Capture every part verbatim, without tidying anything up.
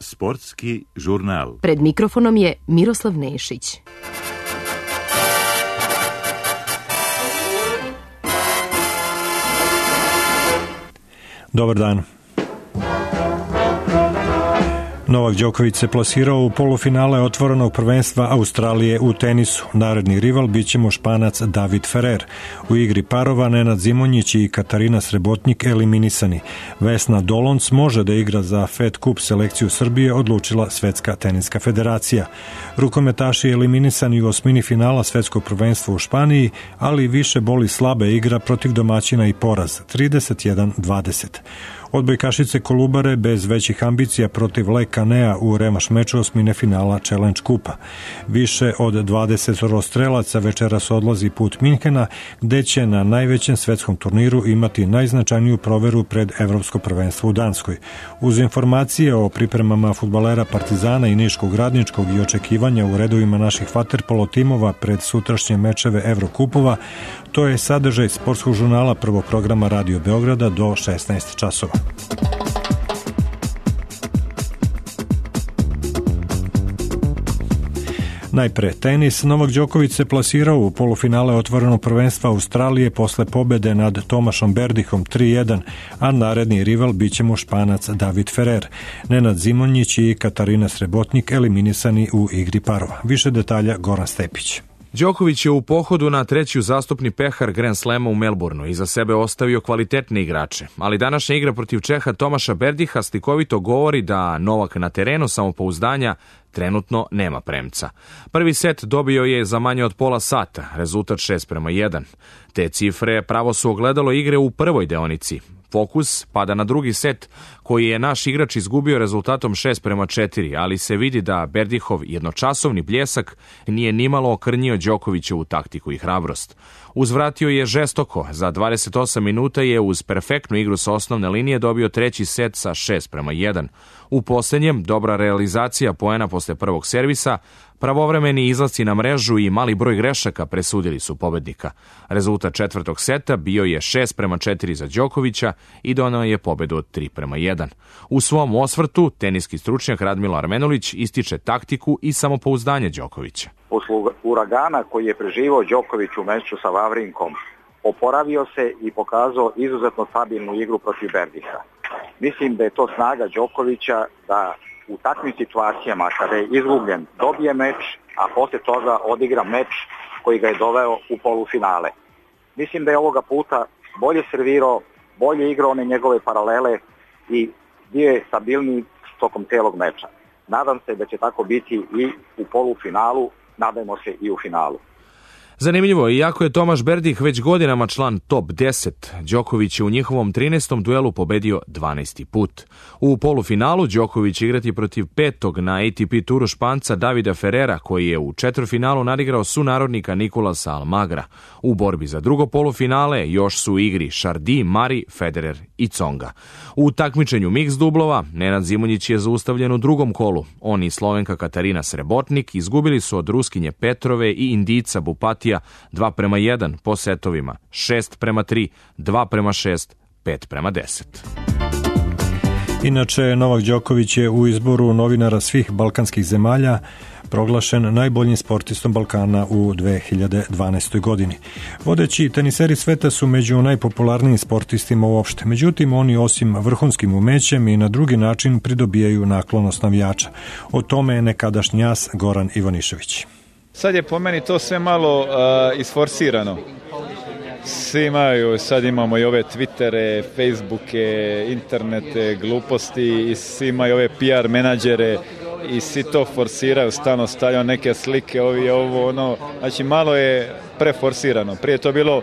Sportski žurnal. Pred mikrofonom je Miroslav Nešić. Dobar dan. Novak Đoković se plasirao u polufinale otvorenog prvenstva Australije u tenisu. Naredni rival biće mu Španac David Ferrer. U igri parova Nenad Zimonjić i Katarina Srebotnik eliminisani. Vesna Dolonc može da igra za Fed Cup selekciju Srbije, odlučila Svetska teniska federacija. Rukometaši eliminisani u osmini finala Svetskog prvenstva u Španiji, ali više boli slabe igra protiv domaćina i poraz trideset jedan dvadeset. Odbojkašice Kolubare bez većih ambicija protiv Le Canea u revanš meču osmine finala Challenge Kupa. Više od dvadeset strelaca večeras odlazi put Minhena, gde će na najvećem svetskom turniru imati najznačajniju proveru pred Evropsko prvenstvo u Danskoj. Uz informacije o pripremama fudbalera Partizana i Niškog Radničkog i očekivanja u redovima naših vaterpolo timova pred sutrašnje mečeve Evrokupova, to je sadržaj sportskog žurnala prvog programa Radio Beograda do šesnaest časova. Najpre tenis. Novak Đoković se plasirao u polufinale otvorenog prvenstva Australije posle pobede nad Tomašom Berdihom tri jedan, a naredni rival biće mu Španac David Ferrer. Nenad Zimonjić i Katarina Srebotnik eliminisani u igri parova. Više detalja Goran Stepić. Đoković je u pohodu na treći uzastopni pehar Grand Slema u Melbourneu iza sebe ostavio kvalitetne igrače, ali današnja igra protiv Čeha Tomaša Berdiha slikovito govori da Novak na terenu samopouzdanja trenutno nema premca. Prvi set dobio je za manje od pola sata, rezultat šest prema jedan. Te cifre pravo su ogledalo igre u prvoj deonici. Fokus pada na drugi set, koji je naš igrač izgubio rezultatom šest prema četiri, ali se vidi da Berdihov jednočasovni bljesak nije nimalo okrnjio Đokovićevu taktiku i hrabrost. Uzvratio je žestoko, za dvadeset osam minuta je uz perfektnu igru sa osnovne linije dobio treći set sa šest prema jedan. U posljednjem, dobra realizacija poena posle prvog servisa, pravovremeni izlasci na mrežu i mali broj grešaka presudili su pobednika. Rezultat četvrtog seta bio je šest prema četiri za Đokovića i donao je pobedu od tri prema jedan. U svom osvrtu, teniski stručnjak Radmilo Armenulić ističe taktiku i samopouzdanje Đokovića. Posle uragana koji je preživao Đoković u meču sa Vavrinkom, oporavio se i pokazao izuzetno stabilnu igru protiv Berdiha. Mislim da je to snaga Đokovića da u takvim situacijama kada je izgubljen dobije meč, a posle toga odigra meč koji ga je doveo u polufinale. Mislim da je ovoga puta bolje servirao, bolje igrao one njegove paralele i bio je stabilniji tokom celog meča. Nadam se da će tako biti i u polufinalu, nadajmo se i u finalu. Zanimljivo, iako je Tomaš Berdih već godinama član top deset, Đoković je u njihovom trinaestom duelu pobedio dvanaesti put. U polufinalu Đoković igrati protiv petog na A T P turu Španca Davida Ferrera, koji je u četvrtfinalu nadigrao sunarodnika Nikolasa Almagra. U borbi za drugo polufinale još su u igri Chardy, Mari, Federer i Tsonga. U takmičenju miks dublova Nenad Zimonjić je zaustavljen u drugom kolu. On i Slovenka Katarina Srebotnik izgubili su od Ruskinje Petrove i Indijca Bupatija dva prema jedan po setovima, šest prema tri, dva prema šest, pet prema deset. Inače, Novak Đoković je u izboru novinara svih balkanskih zemalja proglašen najboljim sportistom Balkana u dve hiljade dvanaestoj. godini. Vodeći teniseri sveta su među najpopularnijim sportistima uopšte. Međutim, oni osim vrhunskim umećem i na drugi način pridobijaju naklonost navijača. O tome je nekadašnji as Goran Ivanišević. Sad je po meni to sve malo uh, isforsirano. Svi imaju, sad imamo i ove Twittere, Facebooke, internete, gluposti i svi imaju ove P R menadžere i svi to forsiraju, stalno stavljaju neke slike, ovi, ovo, ono, znači malo je preforsirano. Prije je to bilo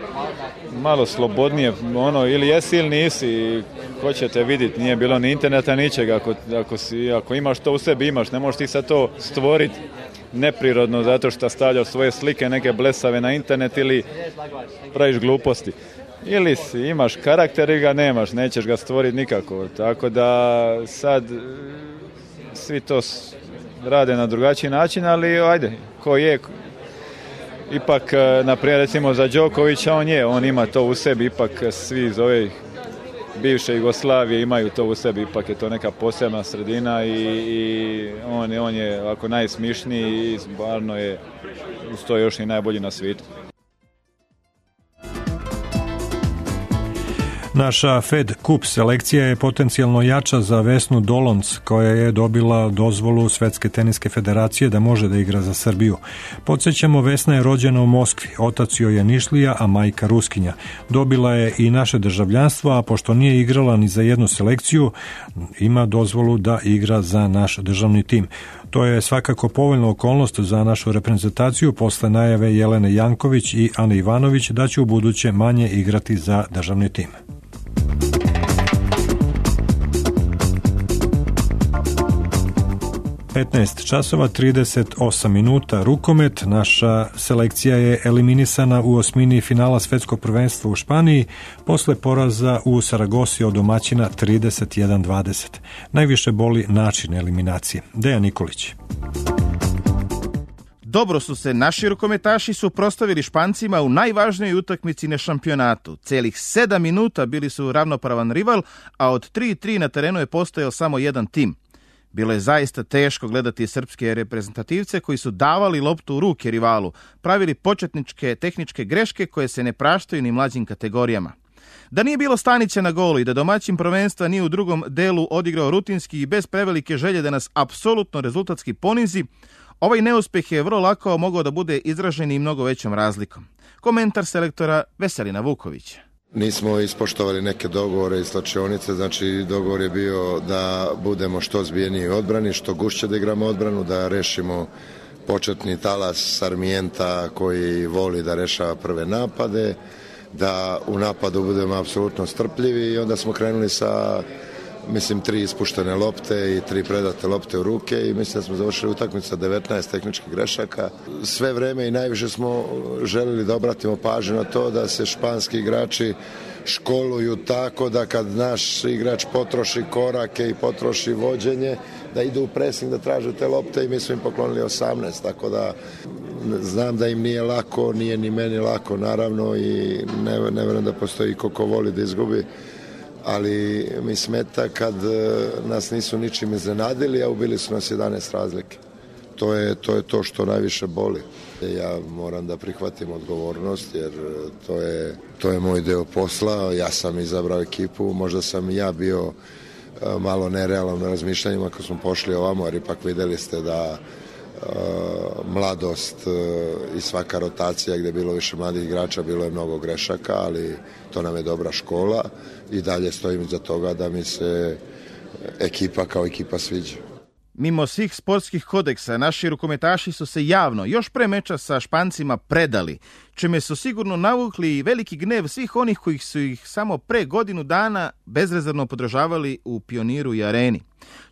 malo slobodnije, ono, ili jesi ili nisi, ko ćete vidjeti, nije bilo ni interneta, ničega, ako, ako, si, ako imaš to u sebi, imaš, ne možeš ti sad to stvoriti neprirodno zato što stavljaš svoje slike neke blesave na internet ili praviš gluposti. Ili si, imaš karakter ili ga nemaš, nećeš ga stvoriti nikako. Tako da sad svi to rade na drugačiji način, ali ajde, ko je, ipak, naprimjer, recimo za Đokovića, on je, on ima to u sebi, ipak svi iz ove bivše Jugoslavije imaju to u sebi, ipak je to neka posebna sredina i, i on, on je ovako najsmišniji i stvarno je uz to još i najbolji na svijetu. Naša Fed Cup selekcija je potencijalno jača za Vesnu Dolonc, koja je dobila dozvolu Svetske teniske federacije da može da igra za Srbiju. Podsjećamo, Vesna je rođena u Moskvi, otac joj je Nišlija, a majka Ruskinja. Dobila je i naše državljanstvo, a pošto nije igrala ni za jednu selekciju, ima dozvolu da igra za naš državni tim. To je svakako povoljna okolnost za našu reprezentaciju posle najave Jelene Janković i Ane Ivanović da će u buduće manje igrati za državni tim. petnaest časova trideset osam minuta, rukomet. Naša selekcija je eliminisana u osmini finala svetskog prvenstva u Španiji posle poraza u Saragosi od domaćina trideset jedan dvadeset. Najviše boli način eliminacije. Dejan Nikolić. Dobro su se naši rukometaši suprotstavili Špancima u najvažnijoj utakmici na šampionatu. Celih sedam minuta bili su ravnopravan rival, a od tri tri na terenu je postojao samo jedan tim. Bilo je zaista teško gledati srpske reprezentativce koji su davali loptu u ruke rivalu, pravili početničke tehničke greške koje se ne praštaju ni mlađim kategorijama. Da nije bilo Stanića na golu i da domaćin prvenstva nije u drugom delu odigrao rutinski i bez prevelike želje da nas apsolutno rezultatski ponizi, ovaj neuspeh je vrlo lako mogao da bude izražen i mnogo većom razlikom. Komentar selektora Veselina Vukovića. Nismo ispoštovali neke dogovore iz slačionice, znači dogovor je bio da budemo što zbijeniji u odbrani, što gušće da igramo odbranu, da rešimo početni talas Sarmienta koji voli da rešava prve napade, da u napadu budemo apsolutno strpljivi i onda smo krenuli sa, mislim, tri ispuštene lopte i tri predate lopte u ruke i mislim da smo završili utakmicu sa devetnaest tehničkih grešaka. Sve vreme i najviše smo želeli da obratimo pažnju na to da se španski igrači školuju tako da kad naš igrač potroši korake i potroši vođenje, da idu u presing, da traže te lopte i mi smo im poklonili osamnaest, tako da znam da im nije lako, nije ni meni lako naravno i ne, ne verujem da postoji ko ko voli da izgubi, ali mi smeta kad nas nisu ničim iznenadili, a ubili su nas jedanaest razlike. To je, to je to što najviše boli. Ja moram da prihvatim odgovornost jer to je, to je moj deo posla. Ja sam izabrao ekipu, možda sam i ja bio malo nerealan na razmišljanjima kad smo pošli ovamo, jer ipak videli ste da uh, mladost uh, i svaka rotacija gde je bilo više mladih igrača, bilo je mnogo grešaka, ali to nam je dobra škola i dalje stojim iza toga da mi se ekipa kao ekipa sviđa. Mimo svih sportskih kodeksa, naši rukometaši su se javno, još pre meča sa Špancima, predali, čime su sigurno navukli veliki gnev svih onih koji su ih samo pre godinu dana bezrezervno podržavali u Pioniru i Areni.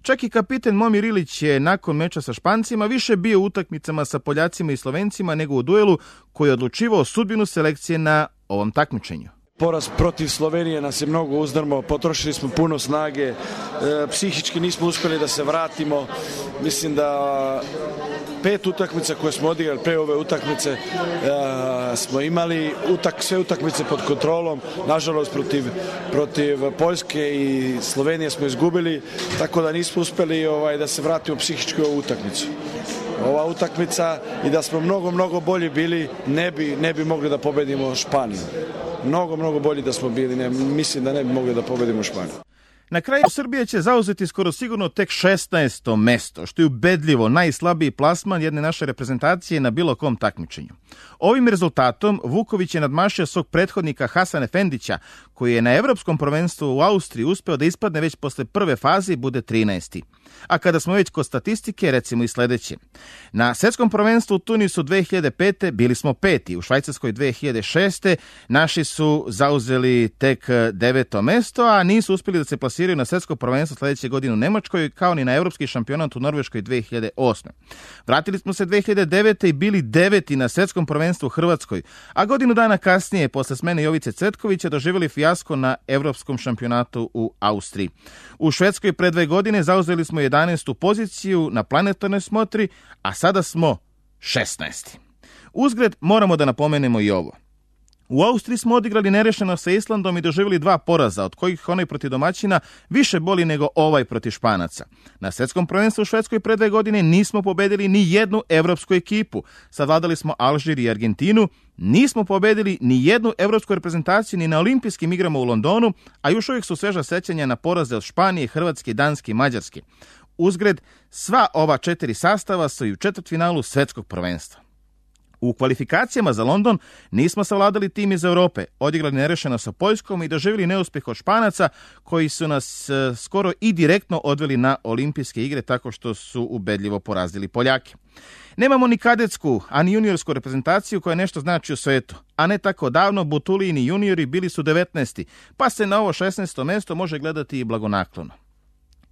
Čak i kapiten Momir Ilić je nakon meča sa Špancima više bio u utakmicama sa Poljacima i Slovencima nego u duelu koji je odlučivao sudbinu selekcije na ovom takmičenju. Poraz protiv Slovenije nas je mnogo uzdrmao, potrošili smo puno snage, e, psihički nismo uspjeli da se vratimo. Mislim da pet utakmica koje smo odigrali pre ove utakmice e, smo imali utak, sve utakmice pod kontrolom. Nažalost protiv, protiv Poljske i Slovenije smo izgubili, tako da nismo uspjeli ovaj, da se vratimo psihički u ovu utakmicu. Ova utakmica i da smo mnogo, mnogo bolji bili, ne bi, ne bi mogli da pobedimo Španiju. Mnogo, mnogo bolji da smo bili, ne, mislim da ne bi mogli da pobedimo Španiju. Na kraju Srbija će zauzeti skoro sigurno tek šesnaesto mesto, što je ubedljivo najslabiji plasman jedne naše reprezentacije na bilo kom takmičenju. Ovim rezultatom Vuković je nadmašio svog prethodnika Hasana Efendića, koji je na evropskom prvenstvu u Austriji uspeo da ispadne već posle prve faze i bude trinaesti. A kada smo već kod statistike, recimo i sledeće. Na svetskom prvenstvu u Tunisu dve hiljade pete bili smo peti, u Švajcarskoj dve hiljade šeste naši su zauzeli tek deveto mesto, a nisu uspjeli da se plasiraju na svetsko prvenstvo sledeće godine u Nemačkoj, kao ni na evropski šampionat u Norveškoj dve hiljade osme. Vratili smo se dve hiljade devete i bili deveti na svetskom prvenstvu u Hrvatskoj, a godinu dana kasnije, posle smene Jovice Cvetkovića, doživjeli fijasko na evropskom šampionatu u Austriji. U Švedskoj pre dve godine zauzeli smo jedanaestu poziciju na planetarnoj smotri, a sada smo šesnaesti. Uzgred moramo da napomenemo i ovo. U Austriji smo odigrali nerešeno sa Islandom i doživjeli dva poraza, od kojih onaj protiv domaćina više boli nego ovaj protiv Španaca. Na svjetskom prvenstvu u Švedskoj pre dve godine nismo pobedili ni jednu evropsku ekipu. Savladali smo Alžir i Argentinu, nismo pobedili ni jednu evropsku reprezentaciju ni na olimpijskim igrama u Londonu, a još uvijek su sveža sećanja na poraze od Španije, Hrvatske, Danske i Mađarske. Uzgred, sva ova četiri sastava su i u četvrtfinalu svjetskog prvenstva. U kvalifikacijama za London nismo savladali tim iz Europe, odigrali nerešeno sa Poljskom i doživjeli neuspjeh od Španaca koji su nas e, skoro i direktno odveli na olimpijske igre tako što su ubedljivo porazili Poljake. Nemamo ni kadetsku, ani juniorsku reprezentaciju koja nešto znači u svetu, a ne tako davno Butulijini juniori bili su devetnaesti, pa se na ovo šesnaesto mjesto može gledati i blagonaklono.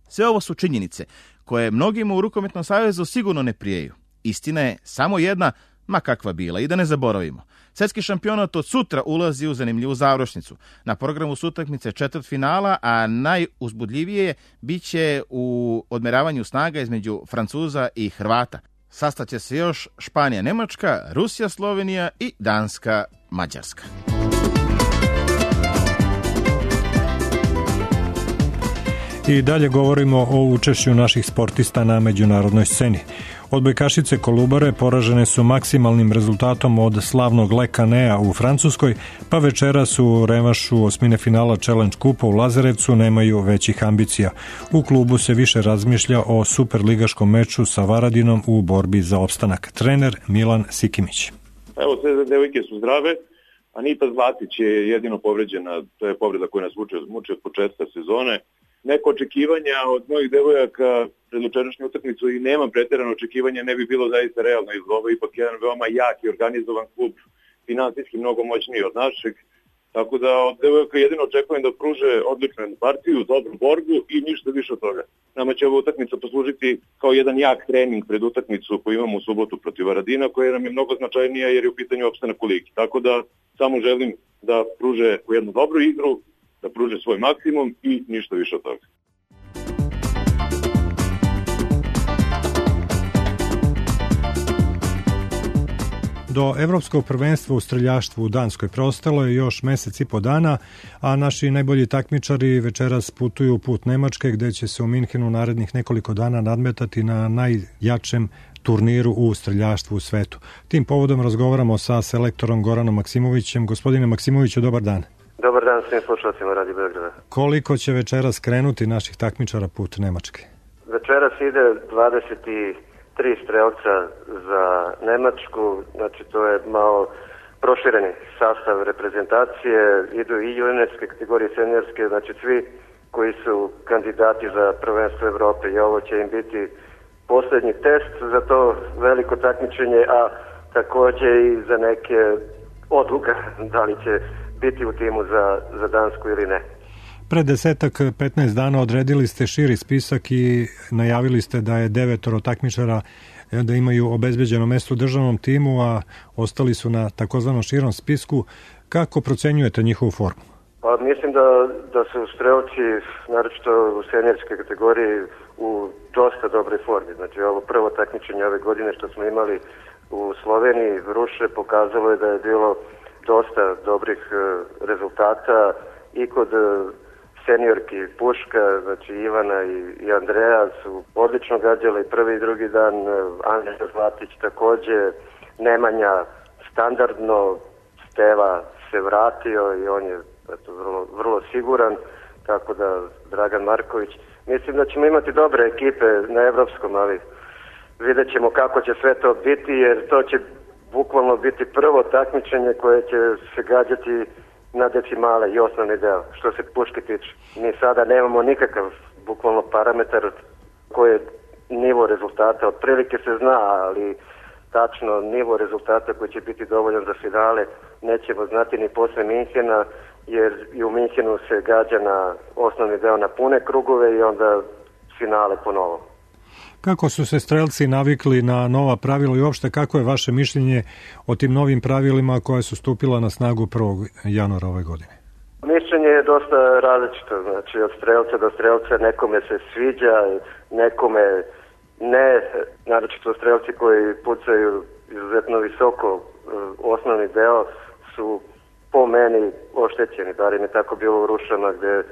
Sve ovo su činjenice koje mnogima u Rukometnom savezu sigurno ne prijeju. Istina je samo jedna, ma kakva bila, i da ne zaboravimo. Svjetski šampionat od sutra ulazi u zanimljivu završnicu. Na programu su utakmice četvrtfinala, a najuzbudljivije bit će u odmeravanju snaga između Francuza i Hrvata. Sastaće se još Španija, Njemačka, Rusija, Slovenija i Danska, Mađarska. I dalje govorimo o učešću naših sportista na međunarodnoj sceni. Odbojkašice Kolubare poražene su maksimalnim rezultatom od slavnog Le Canea u Francuskoj, pa večeras u revanšu osmine finala Challenge Kupa u Lazarevcu nemaju većih ambicija. U klubu se više razmišlja o superligaškom meču sa Varadinom u borbi za opstanak. Trener Milan Sikimić. Evo, sve devojke su zdrave, a Nita Zlatić je jedino povređena, to je povreda koja nas muče, muče od početka sezone. Neko očekivanja od mojih devojaka pred jučerašnju utakmicu i nemam pretjerano očekivanja, ne bi bilo zaista realno iz ovo, ipak jedan veoma jak i organizovan klub, finansijski mnogo moćniji od našeg, tako da od devojaka jedino očekujem da pruže odličnu partiju, dobru borbu i ništa više od toga. Nama će ova utakmica poslužiti kao jedan jak trening pred utakmicu koju imamo u subotu protiv Varadina, koja nam je mnogo značajnija jer je u pitanju opstanak u ligi. Tako da samo želim da pruže jednu dobru igru, da pruže svoj maksimum i ništa više od toga. Do Evropskog prvenstva u streljaštvu u Danskoj preostalo je još mjesec i po dana, a naši najbolji takmičari večeras putuju put Nemačke, gdje će se u Minhenu narednih nekoliko dana nadmetati na najjačem turniru u streljaštvu u svetu. Tim povodom razgovaramo sa selektorom Goranom Maksimovićem. Gospodine Maksimoviću, dobar dan. Dobar dan svim slušalcima Radi Beograda. Koliko će večeras krenuti naših takmičara put Nemačke? Večeras ide dvadeset tri strelca za Nemačku, znači to je malo prošireni sastav reprezentacije, idu i juniorske kategorije, seniorske, znači svi koji su kandidati za prvenstvo Evrope i ovo će im biti posljednji test za to veliko takmičenje, a također i za neke odluka da li će biti u timu za, za Dansku ili ne. Pred desetak, petnaest dana odredili ste širi spisak i najavili ste da je devetoro takmičara da imaju obezbeđeno mjesto u državnom timu, a ostali su na takozvanom širom spisku. Kako procenjujete njihovu formu? Pa mislim da, da su strelci, naročito u seniorskoj kategoriji, u dosta dobroj formi. Znači ovo prvo takmičenje ove godine što smo imali u Sloveniji, Ruše, pokazalo je da je bilo dosta dobrih rezultata i kod seniorki Puška, znači Ivana i, i Andreja su odlično gađali i prvi i drugi dan, Anja Zlatić također, Nemanja standardno, Steva se vratio i on je eto, vrlo, vrlo siguran, tako da Dragan Marković. Mislim da ćemo imati dobre ekipe na evropskom, ali vidjet ćemo kako će sve to biti, jer to će bukvalno biti prvo takmičenje koje će se gađati na decimale i osnovni deo, što se Puške tiče. Mi sada nemamo nikakav bukvalno parametar koji je nivo rezultata. Otprilike se zna, ali tačno nivo rezultata koji će biti dovoljan za finale nećemo znati ni posle Minhena, jer i u Minhenu se gađa na osnovni deo na pune krugove i onda finale po novom. Kako su se strelci navikli na nova pravila i uopšte kako je vaše mišljenje o tim novim pravilima koja su stupila na snagu prvog januara ove godine? Mišljenje je dosta različito, znači od strelca do strelca, nekome se sviđa, nekome ne, naročito strelci koji pucaju izuzetno visoko osnovni deo su po meni oštećeni, bar im je tako bilo u Rušama gde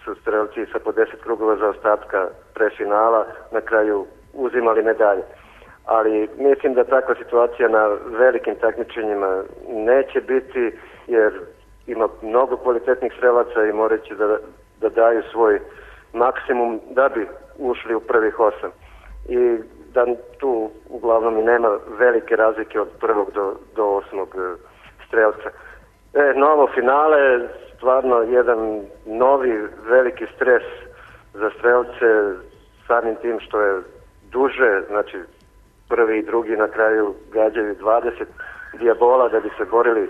su strelci sa po deset krugova zaostatka pre finala na kraju uzimali medalje. Ali mislim da takva situacija na velikim takmičenjima neće biti, jer ima mnogo kvalitetnih strelaca i morat će da, da daju svoj maksimum da bi ušli u prvih osam. I da tu uglavnom i nema velike razlike od prvog do, do osmog strelca. E, novo finale, stvarno jedan novi veliki stres za strelce, samim tim što je duže, znači prvi i drugi na kraju gađaju dvadeset dijabola da bi se borili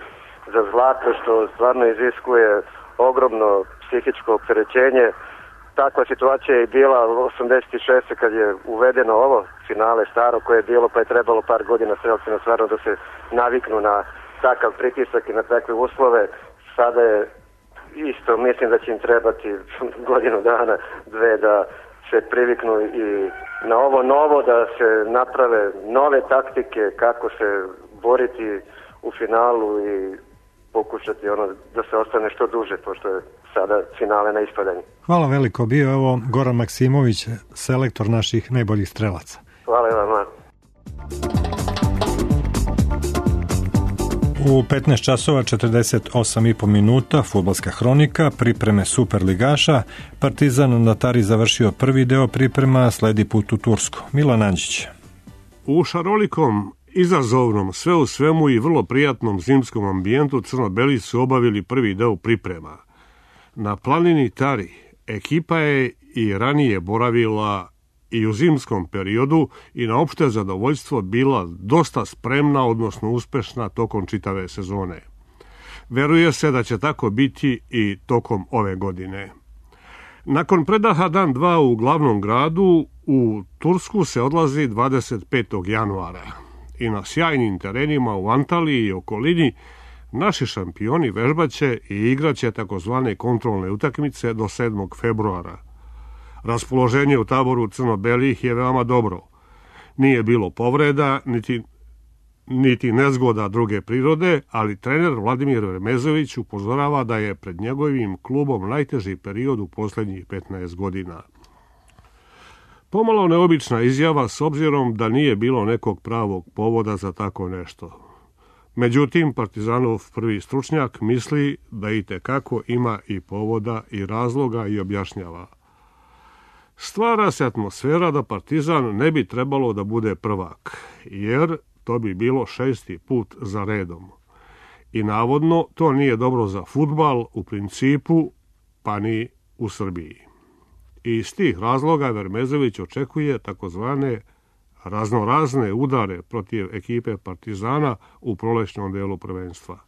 za zlato, što stvarno iziskuje ogromno psihičko opterećenje. Takva situacija je bila u osamdeset šeste kad je uvedeno ovo finale staro koje je bilo, pa je trebalo par godina strelcima stvarno da se naviknu na takav pritisak i na takve uslove. Sada je isto, mislim da će im trebati godinu dana, dve da se priviknu i na ovo novo, da se naprave nove taktike kako se boriti u finalu i pokušati ono da se ostane što duže, pošto je sada finale na ispadanju. Hvala veliko, bio je ovo Goran Maksimović, selektor naših najboljih strelaca. Hvala vam. U petnaest časova četrdeset osam i po minuta fudbalska hronika, pripreme superligaša. Partizan na Tari završio prvi deo priprema, sledi put u Tursku. Milan Anđić. U šarolikom, izazovnom, sve u svemu i vrlo prijatnom zimskom ambijentu crno-beli su obavili prvi deo priprema. Na planini Tari ekipa je i ranije boravila i u zimskom periodu i na opšte zadovoljstvo bila dosta spremna, odnosno uspešna tokom čitave sezone. Veruje se da će tako biti i tokom ove godine. Nakon predaha dan dva u glavnom gradu, u Tursku se odlazi dvadeset petog januara i na sjajnim terenima u Antaliji i okolini naši šampioni vežbaće i igraće takozvane kontrolne utakmice do sedmog februara. Raspoloženje u taboru crno-belih je veoma dobro. Nije bilo povreda, niti, niti nezgoda druge prirode, ali trener Vladimir Vermezović upozorava da je pred njegovim klubom najteži period u posljednjih petnaest godina. Pomalo neobična izjava s obzirom da nije bilo nekog pravog povoda za tako nešto. Međutim, Partizanov prvi stručnjak misli da itekako ima i povoda i razloga i objašnjava. Stvara se atmosfera da Partizan ne bi trebalo da bude prvak, jer to bi bilo šesti put za redom. I navodno to nije dobro za fudbal u principu, pa ni u Srbiji. I iz tih razloga Vermezović očekuje takozvane raznorazne udare protiv ekipe Partizana u prolećnom delu prvenstva.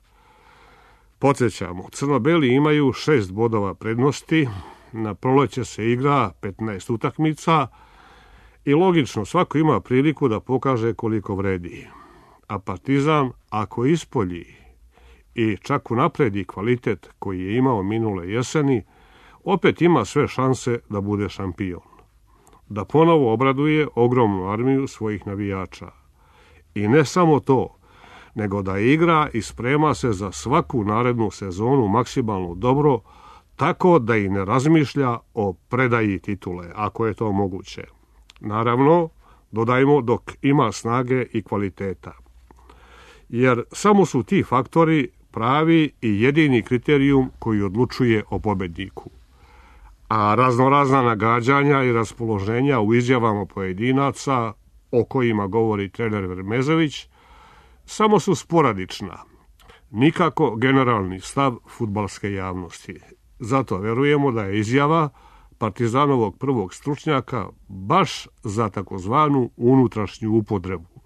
Podsjećamo, crno-beli imaju šest bodova prednosti, na proleće se igra petnaest utakmica i logično svako ima priliku da pokaže koliko vredi. A Partizan, ako ispolji i čak unapredi kvalitet koji je imao minule jeseni, opet ima sve šanse da bude šampion. Da ponovo obraduje ogromnu armiju svojih navijača. I ne samo to, nego da igra i sprema se za svaku narednu sezonu maksimalno dobro, tako da i ne razmišlja o predaji titule, ako je to moguće. Naravno, dodajmo dok ima snage i kvaliteta. Jer samo su ti faktori pravi i jedini kriterijum koji odlučuje o pobedniku. A raznorazna nagađanja i raspoloženja u izjavama pojedinaca, o kojima govori trener Vermezović, samo su sporadična. Nikako generalni stav fudbalske javnosti. Zato verujemo da je izjava Partizanovog prvog stručnjaka baš za takozvanu unutrašnju upotrebu.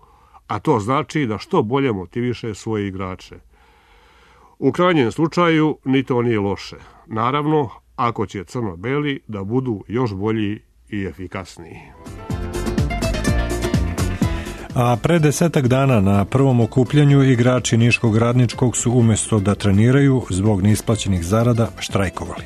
A to znači da što bolje motiviše svoje igrače. U krajnjem slučaju ni to nije loše. Naravno, ako će crno-beli da budu još bolji i efikasniji. A pre desetak dana na prvom okupljanju igrači Niškog Radničkog su umjesto da treniraju zbog neisplaćenih zarada štrajkovali.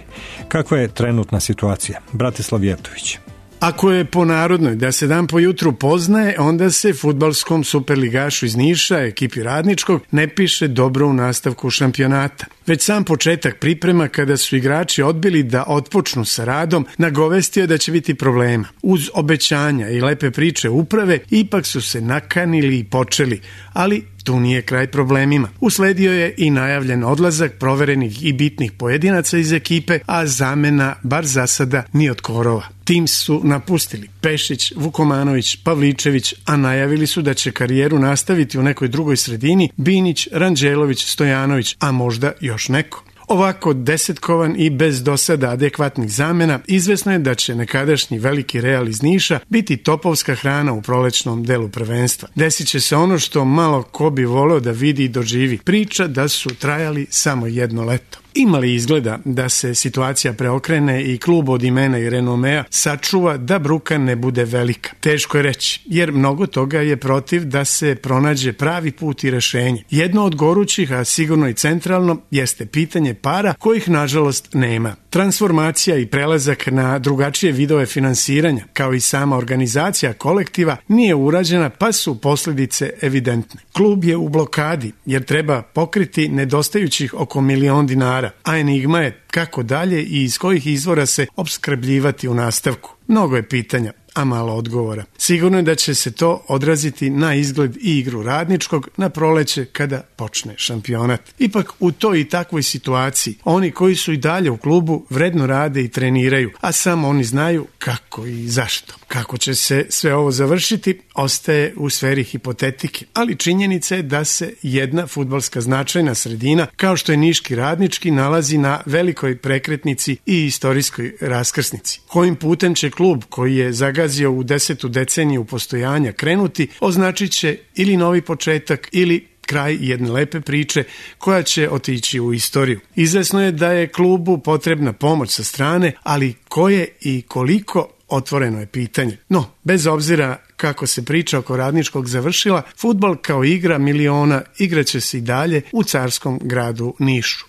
Kakva je trenutna situacija? Bratislav Jevtović. Ako je po narodnoj da se dan po jutru poznaje, onda se fudbalskom superligašu iz Niša, ekipi Radničkog, ne piše dobro u nastavku šampionata. Već sam početak priprema, kada su igrači odbili da otpočnu sa radom, nagovestio da će biti problema. Uz obećanja i lepe priče uprave, ipak su se nakanili i počeli, ali tu nije kraj problemima. Usledio je i najavljen odlazak proverenih i bitnih pojedinaca iz ekipe, a zamena, bar za sada, ni od korova. Tim su napustili Pešić, Vukomanović, Pavličević, a najavili su da će karijeru nastaviti u nekoj drugoj sredini Binić, Ranđelović, Stojanović, a možda još neko. Ovako desetkovan i bez do sada adekvatnih zamena, izvesno je da će nekadašnji veliki Real iz Niša biti topovska hrana u prolećnom delu prvenstva. Desit će se ono što malo ko bi voleo da vidi i doživi. Priča da su trajali samo jedno leto. Ima li izgleda da se situacija preokrene i klub od imena i renomea sačuva da bruka ne bude velika? Teško je reći, jer mnogo toga je protiv da se pronađe pravi put i rešenje. Jedno od gorućih, a sigurno i centralno, jeste pitanje para, kojih nažalost nema. Transformacija i prelazak na drugačije vidove finansiranja, kao i sama organizacija kolektiva, nije urađena, pa su posljedice evidentne. Klub je u blokadi, jer treba pokriti nedostajućih oko milion dinara, a enigma je kako dalje i iz kojih izvora se opskrbljivati u nastavku. Mnogo je pitanja, a malo odgovora. Sigurno je da će se to odraziti na izgled i igru Radničkog na proleće kada počne šampionat. Ipak u toj i takvoj situaciji oni koji su i dalje u klubu vredno rade i treniraju, a samo oni znaju kako i zašto. Kako će se sve ovo završiti ostaje u sferi hipotetike, ali činjenica je da se jedna fudbalska značajna sredina kao što je Niški Radnički nalazi na velikoj prekretnici i istorijskoj raskrsnici. Kojim putem će klub koji je zagazio u desetu deceniju postojanja krenuti, označit će ili novi početak ili kraj jedne lepe priče koja će otići u istoriju. Izvesno je da je klubu potrebna pomoć sa strane, ali koje i koliko, otvoreno je pitanje. No, bez obzira kako se priča oko Radničkog završila, fudbal kao igra miliona igraće se i dalje u carskom gradu Nišu.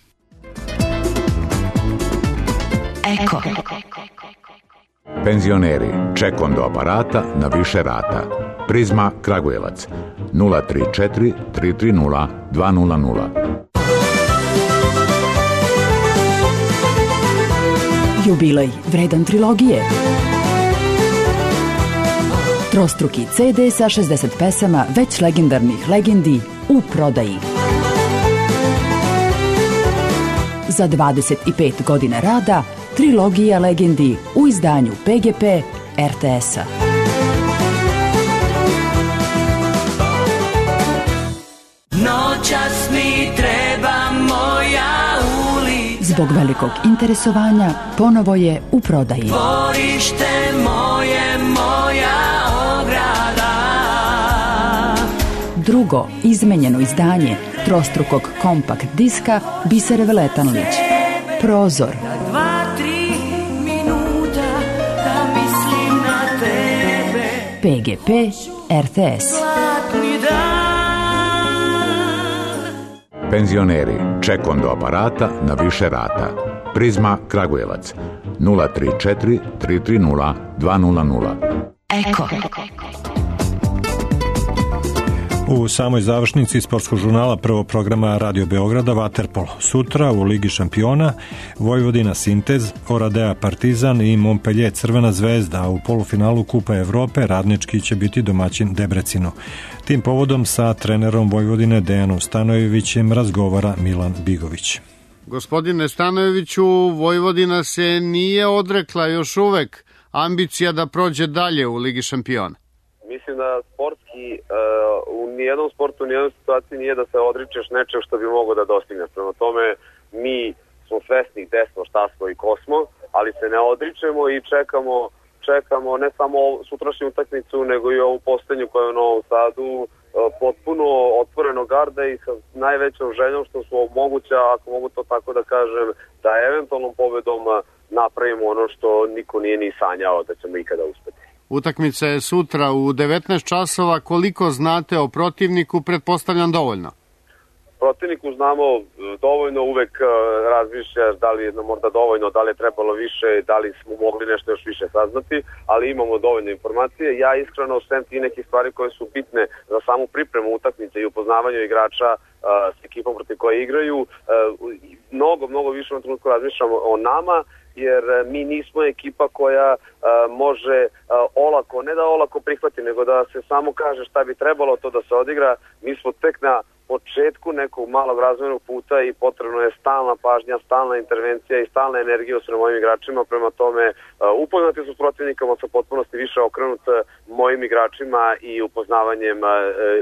Eko. Penzioneri, ček do aparata na više rata. Prizma Kragujevac nula tri četiri tri tri nula dva nula nula. Jubilej vredan trilogije. Trostruki ce de sa šezdeset pesama već legendarnih legendi u prodaji. Za dvadeset pet godina rada trilogija legendi u izdanju pe ge pe er te es-a. Noćas mi treba moja ulica. Zbog velikog interesovanja ponovo je u prodaji. Dvorište moje, moja ograda. Drugo izmenjeno izdanje trostrukog kompakt diska Bisere Veletanlić. Prozor. Dva, tri minuta da mislim na tebe. pe ge pe er te es. Zlatni dan. Penzioneri, ček do aparata na više rata. Prizma Kragujevac nula tri četiri tri tri nula dva nula nula. Eko. U samoj završnici sportskog žurnala prvog programa Radio Beograda vaterpolo. Sutra u Ligi šampiona Vojvodina Sintez, Oradea Partizan i Montpellier Crvena zvezda, a u polufinalu Kupa Evrope Radnički će biti domaćin Debrecinu. Tim povodom sa trenerom Vojvodine Dejanom Stanojevićem razgovara Milan Bigović. Gospodine Stanojeviću, Vojvodina se nije odrekla još uvek ambicija da prođe dalje u Ligi šampiona. Mislim da sportski uh, u nijednom sportu, u nijednom situaciji nije da se odričeš nečeg što bi mogao da dostigneš. Prema tome, mi smo svesni gde smo, šta smo i ko smo, ali se ne odričemo i čekamo, čekamo ne samo sutrašnju utakmicu, nego i ovu poslednju koja je u Novom Sadu, uh, potpuno otvoreno garda i sa najvećom željom što su moguća, ako mogu to tako da kažem, da eventualnom pobedom napravimo ono što niko nije ni sanjao da ćemo ikada uspeti. Utakmica je sutra u devetnaest časova. Koliko znate o protivniku, pretpostavljam dovoljno? protivniku znamo dovoljno, uvek razmišljaš da li je možda dovoljno, da li je trebalo više, da li smo mogli nešto još više saznati, ali imamo dovoljno informacije. Ja iskreno sem ti nekih stvari koje su bitne za samu pripremu utakmice i upoznavanju igrača s ekipom protiv koje igraju, mnogo, mnogo više na trenutku razmišljamo o nama, jer mi nismo ekipa koja a, može a, olako, ne da olako prihvati, nego da se samo kaže šta bi trebalo to da se odigra. Mi smo tek na početku nekog malog razvojnog puta i potrebno je stalna pažnja, stalna intervencija i stalna energija sa mojim igračima. Prema tome, upoznati su s protivnikama, sa potpunosti više okrenut mojim igračima i upoznavanjem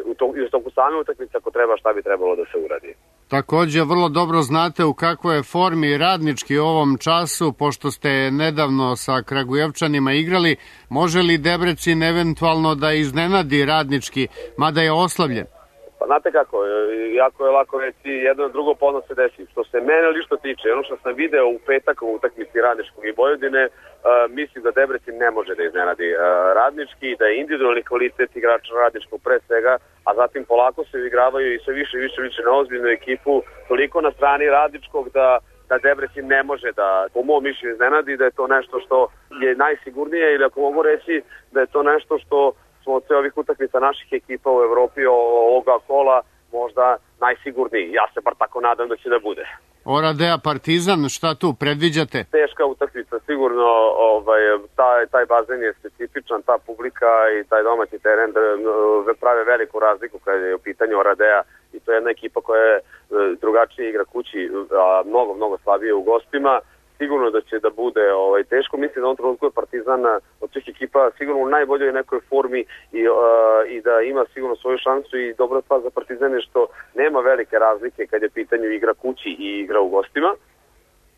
u to, i u toku same utakmice ako treba šta bi trebalo da se uradi. Takođe, vrlo dobro znate u kakvoj je formi Radnički u ovom času, pošto ste nedavno sa Kragujevčanima igrali. Može li Debrecin eventualno da iznenadi Radnički, mada je oslabljen? Pa znate kako, jako je lako reći, jedno drugo podno se desi. Što se mene lično tiče, ono što sam video u petak u utakmici Radničkog i Vojvodine, uh, mislim da Debrecin ne može da iznenadi uh, Radnički, da je individualni kvalitet igrača Radničkog pre svega, a zatim polako se igravaju i sve više i više više na ozbiljnu ekipu, toliko na strani Radničkog da da Debrecin ne može da, po mom mišljenju, iznenadi, da je to nešto što je najsigurnije, ili ako mogu reći da je to nešto što smo od sve ovih utakmica naših ekipa u Evropi ovoga kola možda najsigurniji. Ja se bar tako nadam da će da bude. Oradea Partizan, šta tu predviđate? Teška utakmica, sigurno ovaj, taj, taj bazen je specifičan, ta publika i taj domaći teren prave veliku razliku kada je u pitanju Oradea i to je jedna ekipa koja je drugačije igra kući, a mnogo, mnogo slabije u gostima. Sigurno da će da bude ovaj, teško. Mislim da on trenutku je Partizan od svih ekipa sigurno u najboljoj nekoj formi i, uh, i da ima sigurno svoju šansu i dobra stvar za Partizan je što nema velike razlike kad je pitanje igra kući i igra u gostima,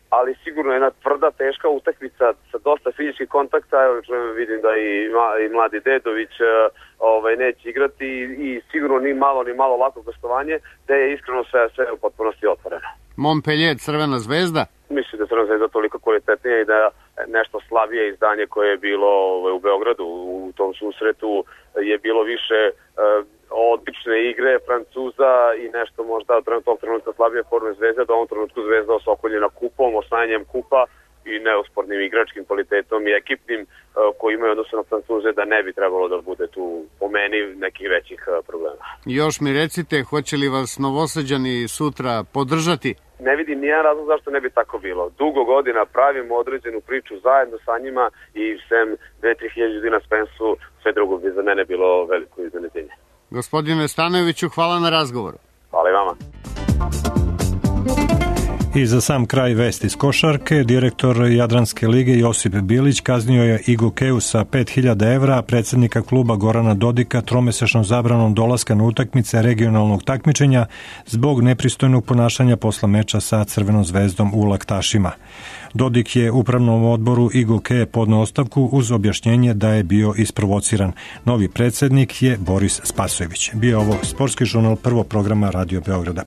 ali sigurno je jedna tvrda, teška utakmica sa dosta fizičkih kontakta. Evo, vidim da i, i mladi Dedović uh, ovaj, neće igrati i, i sigurno ni malo ni malo lako gostovanje, da je iskreno sve, sve u potpunosti otvoreno. Montpellier, Crvena zvezda? Mislim da je Crvena zvezda toliko kvalitetnija i da nešto slabije izdanje koje je bilo u Beogradu u tom susretu je bilo više uh, odlične igre Francuza i nešto možda od tog trenutka slabije forme Zvezde, da u ovom trenutku Zvezda osokoljena kupom, osvajanjem kupa i neospornim igračkim kvalitetom i ekipnim uh, koji imaju odnosno na Francuze, da ne bi trebalo da bude tu po meni nekih većih uh, problema. Još mi recite, hoće li vas Novosađani sutra podržati? Ne vidim nijedan razlog zašto ne bi tako bilo. Dugo godina pravimo određenu priču zajedno sa njima i sem dve tri hiljade ljudi na Spensu, sve drugo bi za mene bilo veliko iznenađenje. Gospodine Stanojeviću, hvala na razgovoru. Hvala i vama. I za sam kraj vesti iz košarke, direktor Jadranske lige Josip Bilić kaznio je Igu Keu sa pet hiljada evra, a predsjednika kluba Gorana Dodika tromesečnom zabranom dolaska na utakmice regionalnog takmičenja zbog nepristojnog ponašanja posle meča sa Crvenom zvezdom u Laktašima. Dodik je upravnom odboru Igu Ke podneo ostavku uz objašnjenje da je bio isprovociran. Novi predsjednik je Boris Spasojević. Bio ovo sportski žurnal Prvog programa Radio Beograda.